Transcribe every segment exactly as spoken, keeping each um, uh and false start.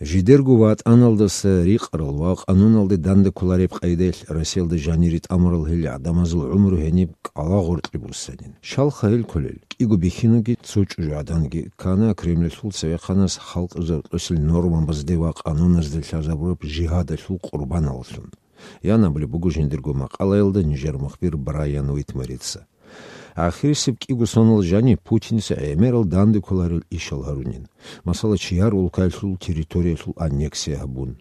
Жидерго ватӀаналдаса рикъарал ва къануналде данде кколареб къайдаялъ Россиялда жанире тӀамурал гьел гӀадамазул гӀумру гьениб кӀалагъоркье буссанин. Щалха гьел кколел? КӀиго бихьинги цо чӀужугӀаданги ккана Кремлалъул цевехъанас халкъ рокьосел нормабазде ва къануназде лъазабураб жигьадалъул къурбаналлъун. Ян абулеб буго жиндирго макъалаялда нижер мухбир Брайан Уитмарица. Ахирисеб кӀиго сонал жани Путиница гӀемерал данде кколарел ишал гьарунин. Масала, чияр улкаялъул территориялъул аннексия гьабун.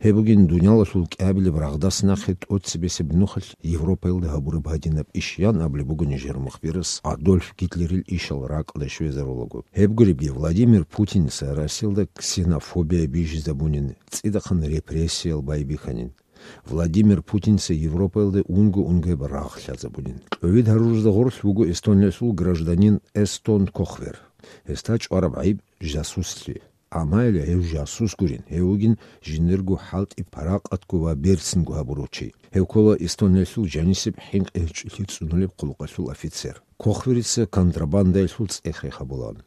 Гьеб бугин дуниялалъул кӀиабилеб рагъдас нахъе тӀоцебесеб нухалъ Европаялда гьабураб гьадинаб иш, ян абулеб буго нижер мухбирас Адольф Гитлерил ишал ракӀалде щвезарулаго. Гьеб гуребги, Владимир Путиница Россиялда ксенофобия бижизабунин, цӀидахъан репрессиял байбихьанин. Владимир Путинца Европаялда унго-унгояб рагъ лъазабунин. Кьовид гьарурузда гъорлъ вуго Эстониялъул гражданин Эстон Кохвер. Гьесда чӀвараб гӀайиб жасуслъи. Амма гьев жасус гурин, гьев вугин жиндирго хӀалтӀи паракъатго ва берцинго гьабурав чи. Гьев ккола Эстониялъул жанисеб хӀинкъи гьечӀолъи цӀунулеб хъулухъалъул офицер. Кохверица контрабандаялъул цӀех рехабулаан.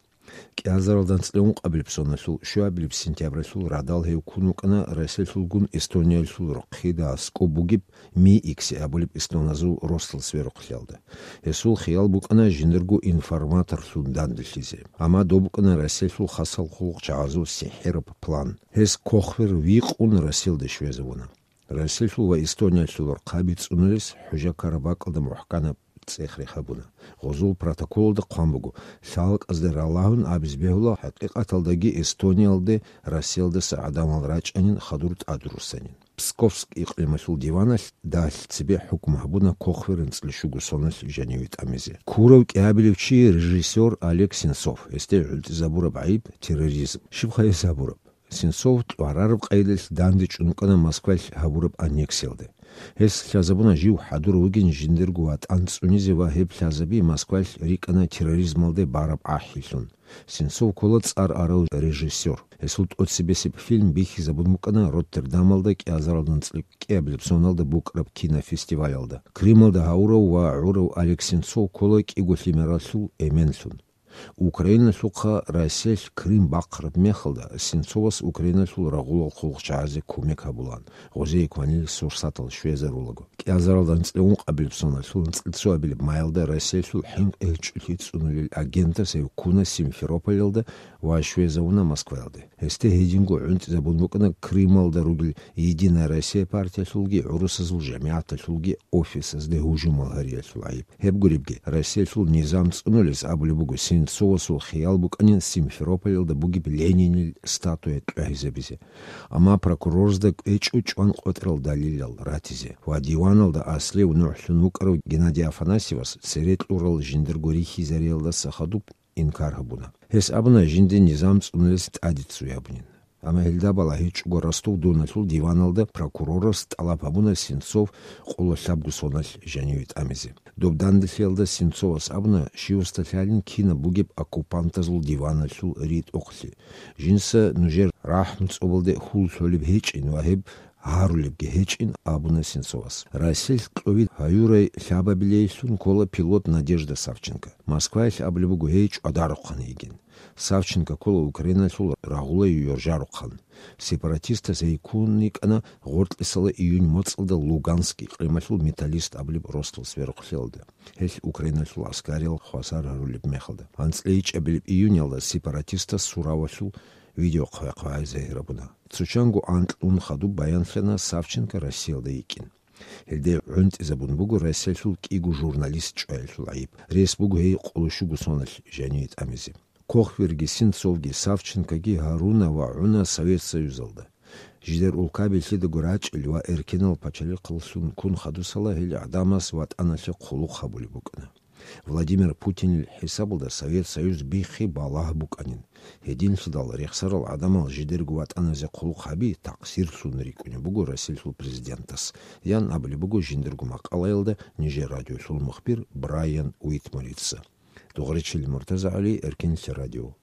КӀиазаралда анцӀила ункъабилеб соналъул щуабилеб сентябралъул радал гьев ккун вукӀана Россиялъулгун Эстониялъул рохъида аскӀоб бугеб Ми-Икси абулеб эстоназул росдал сверухълъиялда. Гьесул хиял букӀана жиндирго информаторлъун данделъизе. Амма доб букӀана Россиялъул хасал хъулухъчагӀазул сихӀираб план. Гьес Кохвер викъун Россиялде щвезавуна. Россиялъул ва Эстониялъул рохъаби цӀунулес хӀужа ккараб бакӀалда мухӀканаб цӀех рехабуна. Гъозул протоколалда хъван буго, лъалкӀазде ралагьун абизе бегьула, хӀакъикъаталдаги Эстониялде Россиялдаса гӀадамал рачӀанин, хадур тӀадруссанин. Псковск икълималъул диваналъ дагьлъи цебе хӀукму гьабуна Кохвер анцӀила щуго соналъ жаниве тӀамизе. Ккурав кӀиабилев чи режиссер Олег Сенцов, гьесде гӀунтӀизабураб гӀайиб терроризм. Щибха гьес гьабураб? Сенцов тӀварараб къайдалъ дандечӀун вукӀана Москвалъ гьабураб аннексиялде. Гьес лъазабуна жив хӀадурав вугин жиндирго ватӀан цӀунизе ва гьеб лъазаби Москвалъ рикӀкӀана терроризмалде бараб ахӀилъун. Сенцов ккола цӀар арав режиссер. Гьесул тӀоцебесеб фильм бихьизабун букӀана Роттердамалда кӀиазаралда анцӀила кӀиабилеб соналда букӀараб кинофестивалалда. Крымалда гьавурав ва гӀурав Олег Сенцов ккола кӀиго лъимералъул эменлъун. Украиналъухъа Россиялъ Крым бахъараб мехалда, Сенцовас Украиналъул рагъулал хъулухъчагӀазе кумек гьабулаан, гъозие кванил сурсатал щвезарулаго. КӀиазаралда анцӀила ункъабилеб соналъул анцӀила цоабилеб майалда Россиялъул хӀинкъи гьечӀолъи цӀунулел агентас гьев ккуна Симферополалда ва щвезавуна Москваялде. Гьесде гьединго гӀунтӀизабун букӀана Крымалда ругел Единая Россия партиялъулги гӀурусазул жамигӀаталъулги офисазде гьужумал гьариялъул гӀайиб. Гьеб гуребги, Россиялъул низам цӀунулес абулеб буго Сенцовасул хиял букӀанин Симферополалда бугеб Ленинил статуя кьвагьизабизе. Амма прокурорзда кӀвечӀо чӀван къотӀрал далилал ратизе ва диваналда аслев нухлъун вукӀарав Геннадий Афанасьевас цере кьурал жиндирго рихьизариялдаса хадуб инкар гьабуна. Гьес абуна, жинди низам цӀунулес тӀаде ццуй гьабунин. Амма гьелда балагьичӀого Ростов-Доналъул диваналда прокурорас тӀалаб гьабуна Сенцов къоло лъабго соналъ жаниве тӀамизе. Доб данделъиялда Сенцовас абуна, щивасда лъалин кинаб бугеб оккупантазул диваналъул ритӀухълъи. Жинца нужер рахӀму цӀобалде хьул лъолеб гьечӀин ва гьеб гьарулебги гьечӀин, абуна Сенцовас. Россиялъ кьовид гьаюрай лъабабилейилъун ккола пилот Надежда Савченко. Москваялъ абулеб буго гьей чӀвадарухъан йигин. Савченко ккола Украиналъул рагъулай ёржарухъан. Сепаратистас гьей ккун йикӀана гъоркьисала июнь моцӀалда Луганск икълималъул Металлист абулеб росдал сверухълъиялда, гьелъ Украиналъул гӀаскариял хвасар гьарулеб мехалда. АнцӀила ичӀабилеб июньалда сепаратистас суравалъул видео хъвай-хъвай загьир гьабуна. Цо чанго анкьун хадуб баянлъана Савченко Россиялда йикӀин. Гьелде гӀунтӀизабун буго Россиялъул кӀиго журналист чӀваялъул гӀайиб. Рес буго гьей къоло щуго соналъ жаниве тӀамизе. Кохверги Сенцовги Савченкоги гьаруна ва гӀуна Совет Союзалда. Жидер улкаби лъидаго рачӀел ва эркенал пачалихъаллъун ккун хадусала гьел гӀадамаз ватӀаналъе хъулухъ гьабулеб букӀана. Владимир Путинил хӀисабалда Совет Союз биххи балагь букӀанин. Гьединлъидал рехсарал гӀадамал жидерго ватӀаназе хъулухъ гьаби такъсирлъун рикӀкӀунеб буго Россиялъул президентас, ян абулеб буго жиндирго макъалаялда нижер радиолъул мухбир Брайан Уитмарица. Дугъричил МуртазагӀали, Эркенлъи радио.